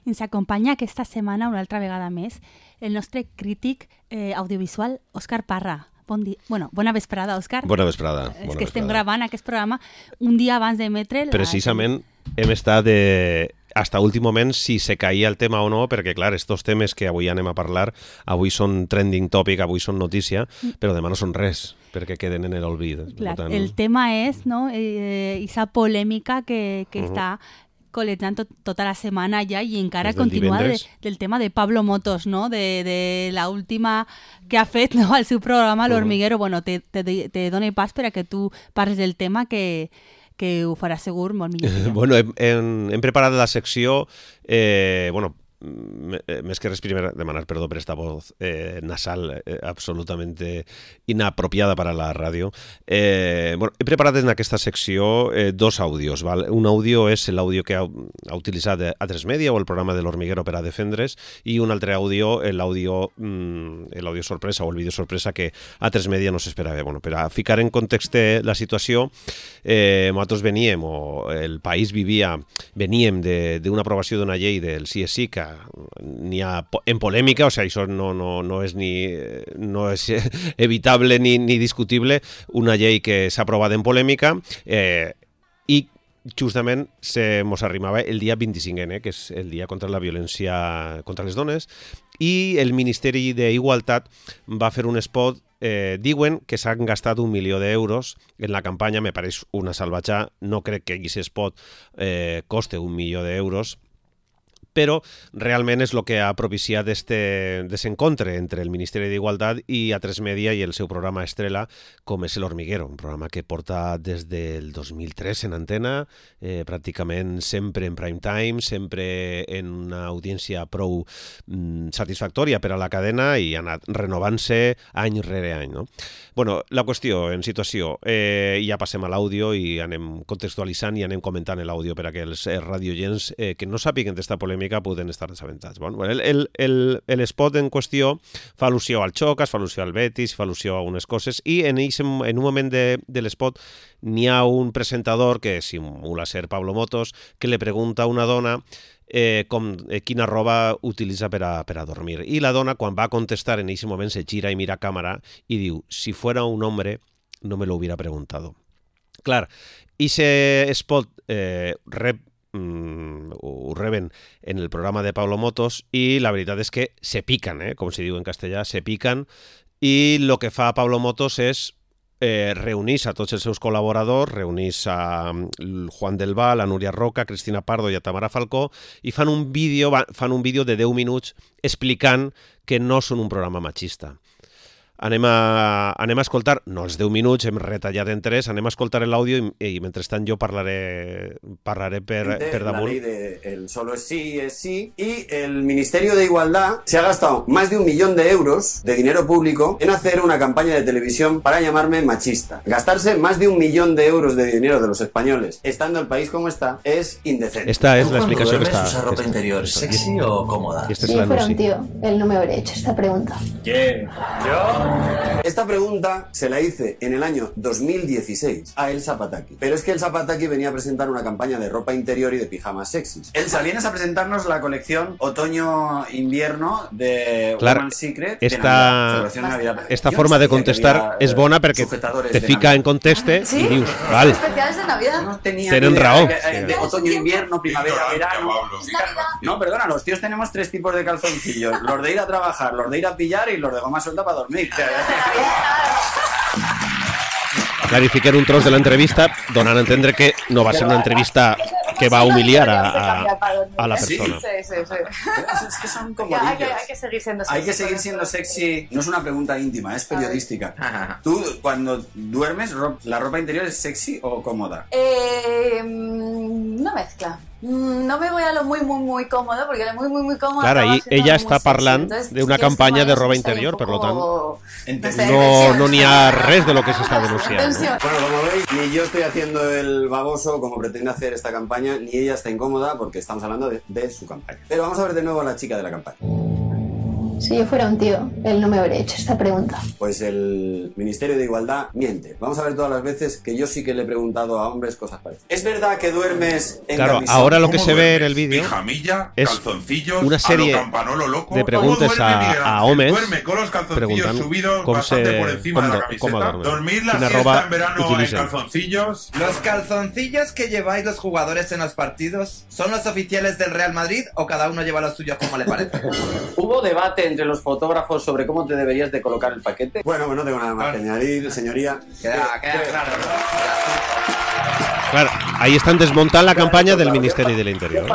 ens acompanya aquesta setmana una altra vegada més el nostre crític audiovisual Òscar Parra. Bona vesprada, Òscar. Bona vesprada. És que estem gravant aquest programa un dia abans d'emetre'l. Precisament hem estat hasta últim moment si se caïa el tema o no, perquè clar, estos temes que avui anem a parlar, avui són trending topic, avui són notícia, però demà no són res, perquè queden en l'olvid. Clar, el tema és, no, esa polèmica que està col·lejant tota la setmana ja i encara continua del tema de Pablo Motos, no? De la última que ha fet, no? Al seu programa L'Hormiguero. Bueno, te dono pas per a que tu parles del tema que ho farà segur molt millor. Bueno, hem preparat la secció, més que res primer demanar perdó per esta voz nasal absolutamente inapropiada para la ràdio. He preparat en aquesta secció dos àudios. Val? Un àudio és l'àudio que ha utilitzat A3 Media o el programa de l'Hormiguero per a defendre's, i un altre àudio, l'àudio sorpresa o el vídeo sorpresa que A3 Media no s'esperava. Bueno, per a ficar en context la situació, nosaltres veníem, o el país veníem d'una aprovació d'una llei del CSI que n'hi ha en polèmica, o sigui, això no és evitable ni discutible, una llei que s'ha aprovat en polèmica i justament mos arrimava el dia 25N, que és el dia contra la violència contra les dones, i el Ministeri d'Igualtat va fer un spot. Diuen que s'han gastat 1 milió d'euros en la campanya. Me pareix una salvatjà, no crec que aquest spot coste 1 milió d'euros, però realment és el que ha propiciat aquest desencontre entre el Ministeri d'Igualtat i A3 Media i el seu programa estrella, com és l'Hormiguero, un programa que porta des del 2003 en antena, pràcticament sempre en prime time, sempre en una audiència prou satisfactòria per a la cadena i ha anat renovant-se any rere any. No? Bueno, la qüestió, en situació, ja passem a l'àudio i anem contextualitzant i anem comentant l'àudio per a que els radioients que no sàpiguen d'esta polèmica poden estar desaventats. Bueno, l'espot en qüestió fa al·lusió al xoc, fa al·lusió al Betis, fa al·lusió a algunes coses, i en un moment de l'espot n'hi ha un presentador que simula ser Pablo Motos, que le pregunta a una dona quina roba utilitza per a dormir. I la dona, quan va a contestar, en aquest moment se gira i mira a càmera i diu: si fuera un hombre, no me lo hubiera preguntado. Clar, ese spot ho reben en el programa de Pablo Motos i la veritat és que se pican, com se diu en castellà, se pican, i el que fa Pablo Motos és reunir a tots els seus col·laboradors, reunir a Juan del Val, a Núria Roca, a Cristina Pardo i a Tamara Falcó, i fan un vídeo de 10 minuts explicant que no són un programa machista. Anem a escoltar, no els 10 minuts, hem retallat en 3, anem a escoltar l'àudio i mentrestant jo parlaré per damunt. La ley de el solo es sí, y el Ministerio de Igualdad se ha gastado más de 1 millón de euros de dinero público en hacer una campaña de televisión para llamarme machista. Gastarse más de 1 millón de euros de dinero de los españoles, estando el país como está, es indecente. Esta es la explicación que está. ¿Usar ropa interior sexy o cómoda? Si yo fuera un tío, él no me habría hecho esta pregunta. ¿Quién? ¿Yo? Esta pregunta se la hice en el año 2016 a Elsa Pataki. Pero es que Elsa Pataki venía a presentar una campaña de ropa interior y de pijamas sexys. Elsa, vienes a presentarnos la colección otoño-invierno de Woman's Secret. Esta forma de contestar és bona perquè te fica en context i dius, val, Especiales de Navidad. No tenía tenen raó. De otoño-invierno, primavera-verano. No, perdona, los tíos tenemos 3 tipos de calzoncillos. Los de ir a trabajar, los de ir a pillar y los de goma suelta para dormir. Clarificar un tros de l'entrevista donant a entendre que no va ser una entrevista que va humiliar a la persona. Sí. Es que son como hay que seguir siendo sexy. Hay que seguir siendo sexy. No es una pregunta íntima, es periodística. ¿Tú, cuando duermes, la ropa interior es sexy o cómoda? No mezcla. No me voy a lo muy cómodo, porque lo muy cómodo. Clar, ahí ella està parlant d'una campanya de roba interior, per lo tant no n'hi ha res de lo que se está denunciando. Bueno, como veis, ni yo estoy haciendo el baboso como pretende hacer esta campaña, ni ella está incómoda porque estamos hablando de su campaña. Pero vamos a ver de nuevo a la chica de la campaña. Si yo fuera un tío, él no me habría hecho esta pregunta. Pues el Ministerio de Igualdad miente. Vamos a ver todas las veces que yo sí que le he preguntado a hombres cosas parecidas. ¿Es verdad que duermes en Claro, camisón? ahora lo que se ve en el vídeo pijamilla, es calzoncillos, una serie loco, de preguntas a hombres. Duerme con los calzoncillos subidos bastante por encima de la camiseta. Dormir la siesta en verano en calzoncillos. ¿Los calzoncillos que lleváis los jugadores en los partidos son los oficiales del Real Madrid o cada uno lleva los suyos como le parece? ¿Hubo debate entre los fotógrafos sobre cómo te deberías de colocar el paquete? Bueno, no tengo nada más que añadir, señoría. Queda claro. Claro, ahí están desmontando la campaña del Ministerio del Interior.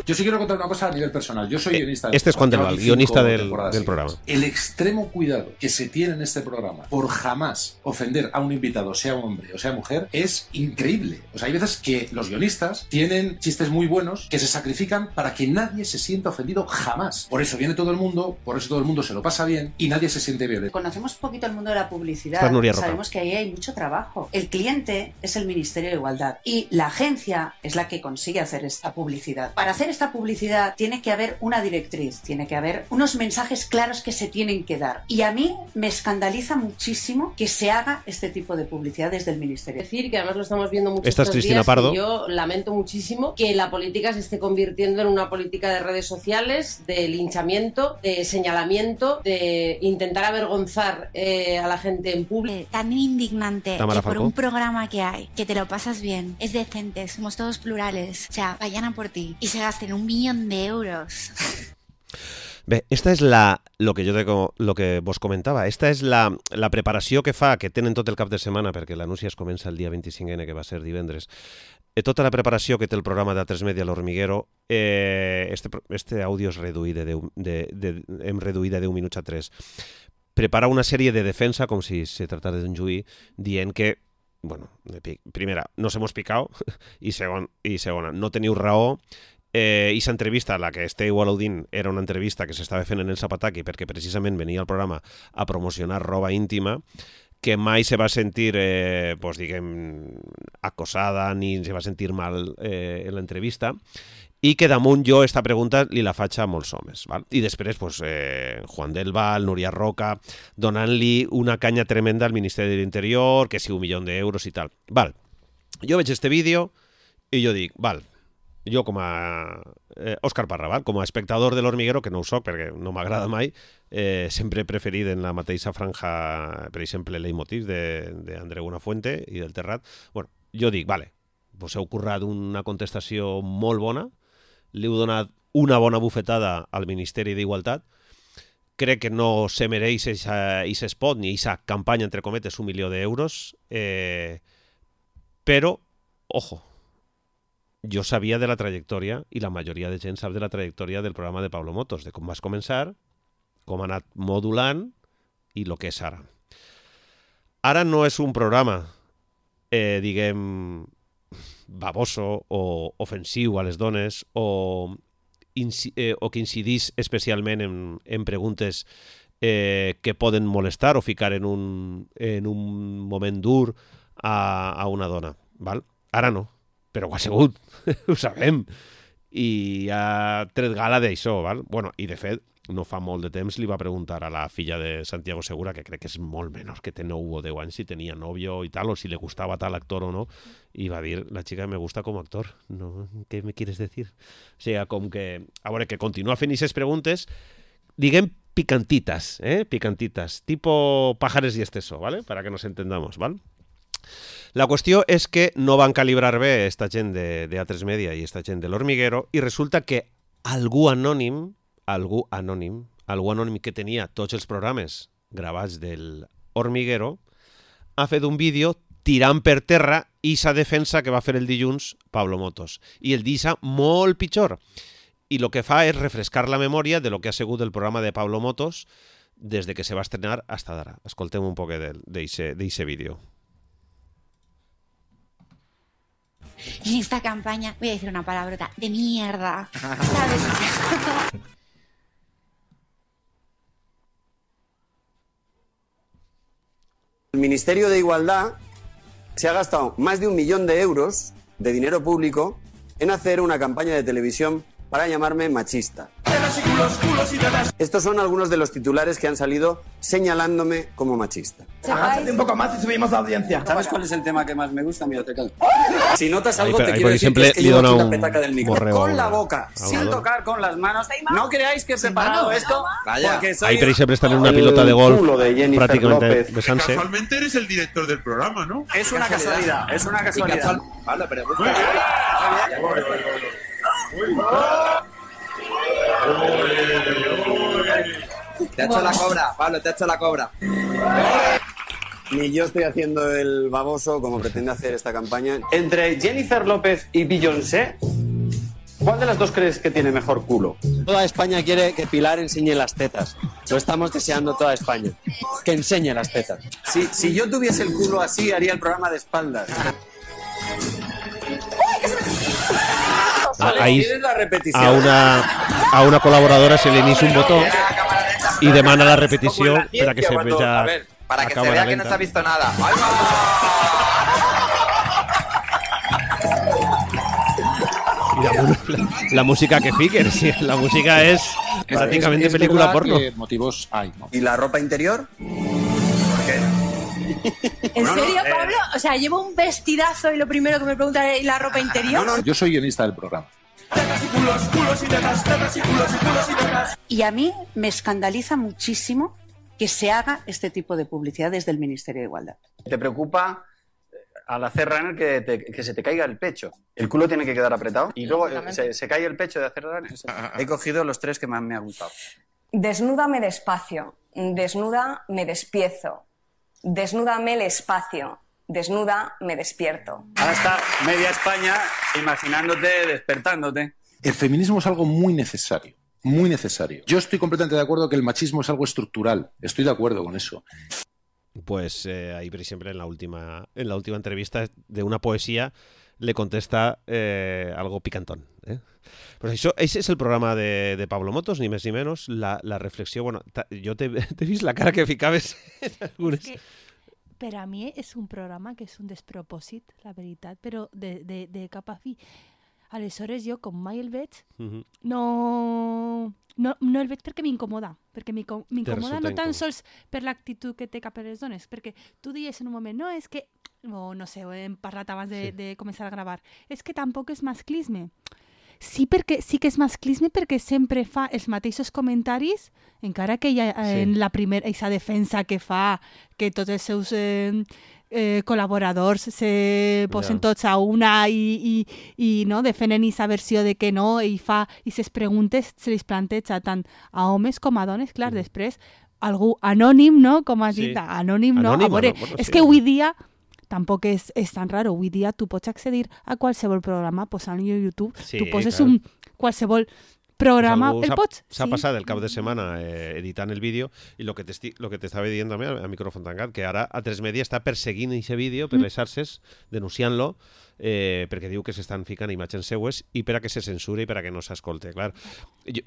Yo sí quiero contar una cosa a nivel personal. Yo soy guionista. Este es Juan del Val, guionista del programa. El extremo cuidado que se tiene en este programa por jamás ofender a un invitado, sea hombre o sea mujer, es increíble. O sea, hay veces que los guionistas tienen chistes muy buenos que se sacrifican para que nadie se sienta ofendido jamás. Por eso viene todo el mundo, por eso todo el mundo se lo pasa bien y nadie se siente violento. Conocemos poquito el mundo de la publicidad. Sabemos que ahí hay mucho trabajo. El cliente es el Ministerio de Igualdad. Y la agencia es la que consigue hacer esta publicidad. Para hacer esta publicidad tiene que haber una directriz, tiene que haber unos mensajes claros que se tienen que dar. Y a mí me escandaliza muchísimo que se haga este tipo de publicidad desde el Ministerio. Es decir, que además lo estamos viendo muchos Esta es Cristina Pardo. Yo lamento muchísimo que la política se esté convirtiendo en una política de redes sociales, de linchamiento, de señalamiento, de intentar avergonzar a la gente en público. Tan indignante Tamara que por Falcó. un programa que hay, que te lo pasas bien, es decente, somos todos plurales, o sea, vayan a por ti y se gasten 1 millón de euros. Bé, esta és lo que vos comentava, esta és la preparació que fa, que tenen tot el cap de setmana, perquè l'anunci es comença el dia 25N, que va ser divendres, tota la preparació que té el programa d'A3 Media a l'Hormiguero, este àudio és reduït hem reduït de 10 minuts a 3. Prepara una sèrie de defensa, com si se tratara d'un juí, dient que, bueno, primera, nos hemos picado, i segona, no teniu raó. Esa entrevista, la que esteu al·ludint, era una entrevista que s'estava fent en el Zapataki perquè precisament venia al programa a promocionar roba íntima, que mai se va sentir, acosada ni se va sentir mal en l'entrevista, i que damunt jo esta pregunta li la faig a molts homes. Val? I després, Juan del Val, Núria Roca, donant-li una canya tremenda al Ministeri de l'Interior, que si 1 milió d'euros i tal. Val. Jo veig este vídeo i jo dic, val, jo com a Òscar Parra, val? Com a espectador de l'Hormiguero, que no ho soc perquè no m'agrada mai, sempre he preferit en la mateixa franja, per exemple, Leitmotiv d'Andreu Buenafuente i del Terrat. Bueno, jo dic, vale, vos heu currat una contestació molt bona, li heu donat una bona bufetada al Ministeri d'Igualtat, crec que no se mereix aquest spot ni aquesta campanya, entre cometes, 1 milió d'euros, però, ojo, jo sabia de la trajectòria, i la majoria de gent sap de la trajectòria del programa de Pablo Motos, de com vas començar, com ha anat modulant i el que és ara. Ara no és un programa, diguem, baboso o ofensiu a les dones o que incidís especialment en preguntes que poden molestar o ficar en un moment dur a una dona. Val? Ara no. Però ho ha sigut, ho sabem, i ha tret gala d'això, val? Bueno, i de fet, no fa molt de temps li va preguntar a la filla de Santiago Segura, que crec que és molt menor, que té 9 o 10 anys, si tenia novio i tal, o si le gustava tal actor o no, i va dir, la chica me gusta como actor, no, ¿qué me quieres decir? O sigui, com que, a veure, que continua fent aquestes preguntes, diguem picantitas, picantitas, tipo Pájares y Esteso, ¿vale? Para que nos entendamos, ¿vale? La qüestió és que no van calibrar bé esta gent de A3 Media i esta gent de l'Hormiguero i resulta que algú anònim que tenia tots els programes gravats del Hormiguero ha fet un vídeo tirant per terra esa defensa que va fer el dilluns Pablo Motos. I el deixa molt pitjor. I el que fa és refrescar la memòria de lo que ha sigut el programa de Pablo Motos des de que se va estrenar hasta d'ara. Escoltem un poc d'eixe vídeo. En esta campaña, voy a decir una palabrota, de mierda, ¿sabes? El Ministerio de Igualdad se ha gastado más de 1 millón de euros de dinero público en hacer una campaña de televisión para llamarme machista. Estos son algunos de los titulares que han salido señalándome como machista. Avanzate un poco más y subimos la audiencia. ¿Sabes cuál es el tema que más me gusta? Mira, te calmo. Si notas algo, te quiero decir siempre que llevo aquí la petaca un del micro. Con la boca, sin tocar con las manos. No creáis que he preparado esto porque soy... Ahí tenéis siempre estar en una pilota de golf prácticamente besándose. Casualmente eres el director del programa, ¿no? Es una casualidad, es una casualidad. Vale, pero... Te ha hecho la cobra, Pablo, te ha hecho la cobra. Ni yo estoy haciendo el baboso como pretende hacer esta campaña. Entre Jennifer López y Beyoncé, ¿cuál de las dos crees que tiene mejor culo? Toda España quiere que Pilar enseñe las tetas. Lo estamos deseando toda España. Que enseñe las tetas. Si yo tuviese el culo así, haría el programa de espaldas. Ahí a una colaboradora se le inicia un botón y demanda la repetición para que se vea. A ver, para que se vea que no se ha visto nada. Y la música que fiquen, sí, la música es prácticamente película porno. Motivos hay, ¿no? ¿Y la ropa interior? ¿Por qué? ¿En serio, Pablo? O sea, llevo un vestidazo y lo primero que me preguntan es ¿la ropa interior? Yo soy guionista del programa. Y a mí me escandaliza muchísimo que se haga este tipo de publicidad desde el Ministerio de Igualdad. ¿Te preocupa al hacer runner que se te caiga el pecho? El culo tiene que quedar apretado y luego se cae el pecho de hacer runner. He cogido los tres que más me han gustado. Desnúdame despacio, desnuda me despiezo, desnúdame el espacio, desnuda me despierto. Ahora está media España imaginándote, despertándote. El feminismo es algo muy necesario. Muy necesario. Yo estoy completamente de acuerdo que el machismo es algo estructural. Estoy de acuerdo con eso. Pues ahí siempre en la última entrevista de una poesía le contesta algo picantón. Pues ese es el programa de Pablo Motos, ni más ni menos. La reflexión, bueno, yo te vis la cara que ficaves en algunes... Per a mi és un programa que és un despropòsit, la veritat, però de cap a fi. Aleshores jo, com mai el veig, no el veig perquè m'incomoda. Perquè m'incomoda no tan sols per l'actitud que té cap a les dones, perquè tu dius en un moment, no, és que, no sé, ho hem parlat abans de començar a gravar, és que tampoc és masclisme. Sí que és masclisme perquè sempre fa els mateixos comentaris, encara que en la primera aquesta defensa que fa, que tots els seus col·laboradors se posen tots a una i no, defenen aquesta versió de que no, i ses preguntes se les planteja tant a homes com a dones. Clar, després algú anònim, no? Com has dit, anònim, no? A veure, és que avui dia tampoc és tan raro. Avui dia tu pots accedir a qualsevol programa posant-lo a YouTube. Sí, tu poses qualsevol programa, el pots. S'ha passat el cap de setmana editant el vídeo i el que t'estava dient també al micròfon tancat, que ara A3Media està perseguint aquest vídeo per les xarxes, denunciant-lo, perquè diu que s'estan ficant imatges seues i per a que se censure i per a que no s'escolte. Clar,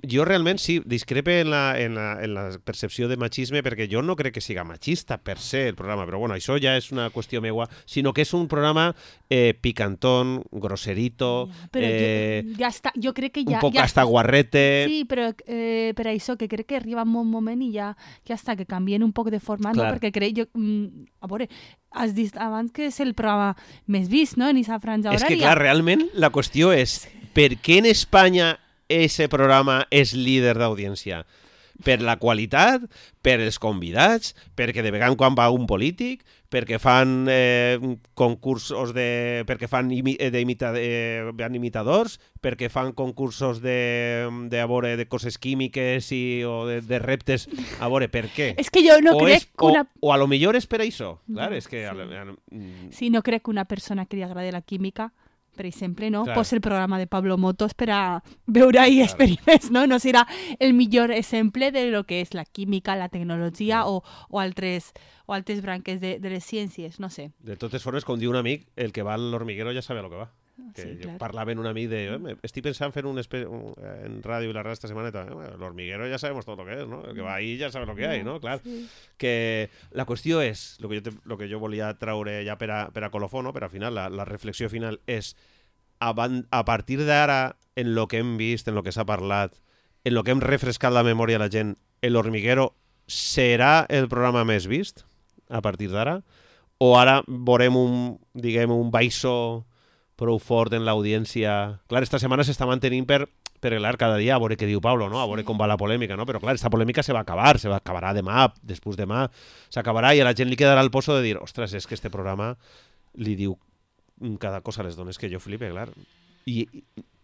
jo realment sí, discrepe en la percepció de machisme, perquè jo no crec que siga machista per se el programa, però bueno, això ja és una qüestió meua, sinó que és un programa picantón, grosserito, jo crec que ja... un poc hasta guarrete... Sí, però per això que crec que arriba un moment i ja està, que canvien un poc de format, no? Perquè crec jo... A veure, has dit abans que és el programa més vist, no?, en aquesta franja horària. És que, clar, realment la qüestió és per què en Espanya ese programa és líder d'audiència? Per la qualitat, per els convidats, perquè de vegades quan va un polític, perquè fan concursos perquè fan imitadors, perquè fan concursos de coses químiques o de reptes. A veure, per què? És que jo no crec que una... O a lo millor és per això. Clar, és que... Sí, no crec que una persona que li agradi la química, per exemple, no? Posa el programa de Pablo Motos per a veure ahí experiments, no? No serà el millor exemple de lo que és la química, la tecnologia o altres branques de les ciències, no sé. De totes formes, com diu un amic, el que va a l'hormiguero ja sabe a lo que va. Que sí, jo parlava amb un amic de estic pensant fer en ràdio i la ràdio esta setmana, l'hormiguero ja sabemos todo lo que es, ¿no? El que va ahí ja sabe lo que hay, ¿no? Clar, que la qüestió és, lo que jo volia traure ja per a colofó, no? Per al final, la reflexió final és, a partir d'ara, en lo que hem vist, en lo que s'ha parlat, en lo que hem refrescat la memòria a la gent, El Hormiguero serà el programa més vist a partir d'ara? O ara veurem un baixo prou fort en l'audiència? Clar, esta setmana s'està mantenint perquè, clar, cada dia a veure què diu Pablo, no? A veure com va la polèmica, no? Però, clar, esta polèmica se acabarà demà, després demà, s'acabarà i a la gent li quedarà el poso de dir, ostres, és que este programa li diu cada cosa a les dones que jo flipe, clar.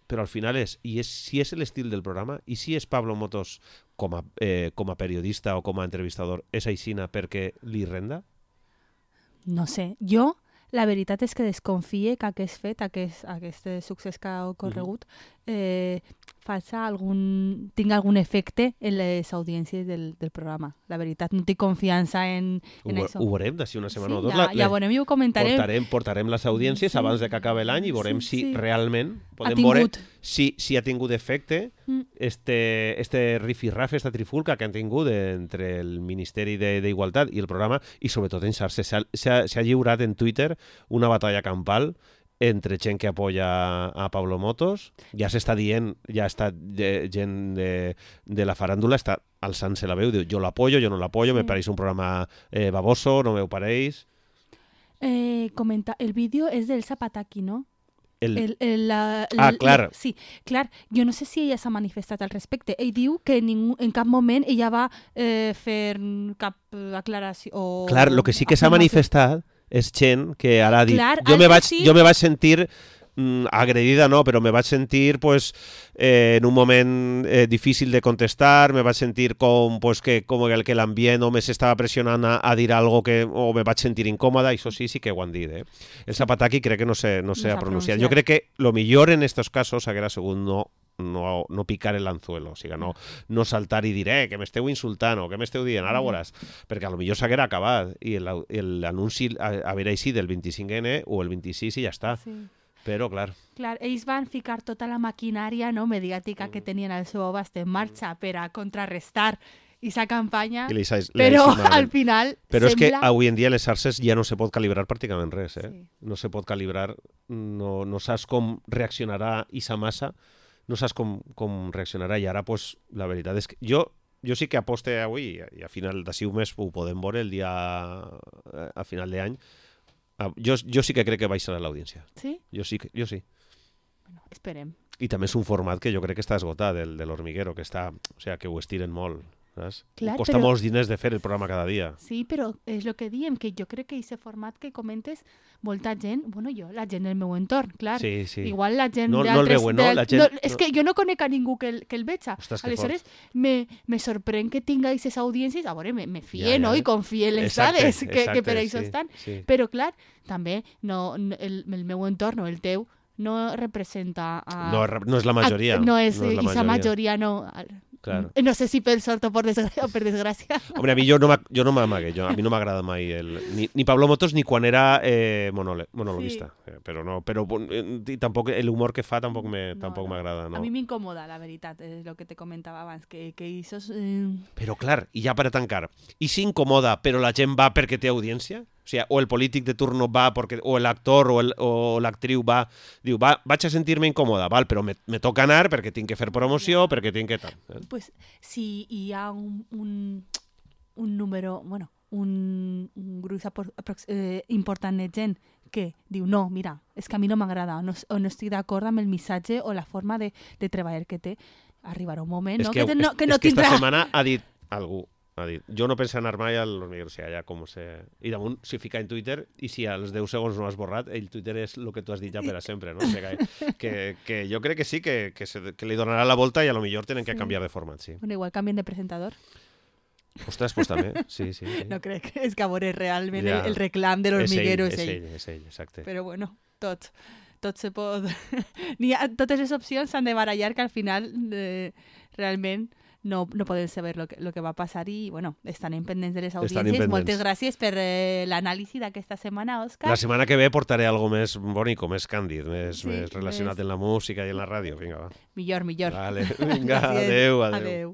Però al final si és l'estil del programa i si és Pablo Motos com a periodista o com a entrevistador, és aixina perquè li renda? No sé, jo la veritat és que desconfie que aquest fet, aquest succés que ha ocorregut, tinga algun efecte en les audiències del programa. La veritat, no tinc confiança en això. Ho veurem d'ací una setmana o dos. Ja veurem i ho comentarem. Portarem les audiències abans de que acabi l'any i veurem si realment podem veure si ha tingut efecte este rifirrafe, esta trifulca que han tingut entre el Ministeri d'Igualtat i el programa, i sobretot en xarxes. S'ha lliurat en Twitter una batalla campal entre gent que apoya a Pablo Motos. Ja s'està dient, gent de la faràndula està alçant-se la veu, diu, jo l'apoyo, jo no l'apoyo, me pareix un programa baboso, no me pareix. Comenta, el vídeo és del Zapataki, no? Clar. Sí, clar. Jo no sé si ella s'ha manifestat al respecte. Ell diu que en cap moment ella va fer cap aclaració. Clar, el que sí que s'ha manifestat és gent que ara ha dit... Jo me vaig sentir agredida, no, però me vaig sentir en un moment difícil de contestar, me vaig sentir com que l'ambient o me s'estava pressionant a dir algo o me vaig sentir incòmoda, això sí que ho han dit. El Zapataki crec que no s'ha pronunciat. Jo crec que lo millor en estos casos haguera sigut no picar el anzuelo, o sigui, no saltar i dir que m'esteu insultant o que m'esteu dient, ara veuràs, perquè a lo millor s'haguera acabat i l'anunci haguera així del 25N o el 26 i ja està. Però, clar, ells van ficar tota la maquinària mediàtica que tenien al seu abast en marxa per a contrarrestar aquesta campanya, però al final Però és que avui en dia les xarxes ja no se pot calibrar pràcticament res. No se pot calibrar, no saps com reaccionarà aquesta massa, no saps com reaccionarà, i ara, la veritat és que jo sí que aposte avui, i a final d'ací un mes ho podem veure, el dia a final d'any. Jo sí que crec que baixarà l'audiència. Sí? Jo sí. Bueno, esperem. I també és un format que jo crec que està esgotat, el de l'Hormiguero, que ho estiren molt. Costa molts diners de fer el programa cada dia. Sí, però és el que diem, que jo crec que aquest format que comentes, molta gent, la gent del meu entorn, clar. Sí. Igual la gent no el veuen, no? És que jo no conec a ningú que el veja. Aleshores, me sorprèn que tinga aquestes audiències, a veure, me fie, no? I confie en les dades que per això estan. Però, clar, també el meu entorn o el teu no representa... No és la majoria. No és la majoria, no... Claro. No sé si per sort o per desgràcia. Hombre, a mi jo no m'amague, a mi no m'agrada mai ni Pablo Motos ni quan era monologuista, però tampoc l'humor que fa tampoc m'agrada. No. A mi m'incomoda, la veritat, és el que te comentava abans, que això és... Però clar, i ja per a tancar, i si incomoda però la gent va perquè té audiència? O sigui, o el polític de turno va perquè, o l'actor o l'actriu va, diu, vaig a sentir-me incòmoda, però me toca anar perquè tinc que fer promoció, perquè tinc que tal. Pues si hi ha un número, un gruix important de gent que diu, no, mira, és que a mi no m'agrada, o no estic d'acord amb el missatge o la forma de treballar que té, arribarà un moment, no? Que no tindrà... Esta setmana ha dit algú, jo no penso anar mai al Hormiguero, o sigui, allà com se... I damunt s'hi fica en Twitter, i si als 10 segons no has borrat, el Twitter és el que tu has dit ja per a sempre, no? O sigui, que jo crec que sí, que li donarà la volta i a lo millor tenen que canviar de format, sí. Bueno, igual canvien de presentador. Ostres, pues també, sí. No crec, és que a veure realment el reclam de l'Hormiguero és ell. És ell, exacte. Però bueno, tot se pot... Totes les opcions s'han de barallar, que al final realment no poden saber lo que va passar i, estan pendents de les audiències. Moltes gràcies per l'anàlisi d'aquesta setmana, Òscar. La setmana que ve portaré algo més bonico, més càndid, més relacionat amb la música i amb la ràdio. Vinga, va. Millor. Vale, vinga, adeu. Adeu.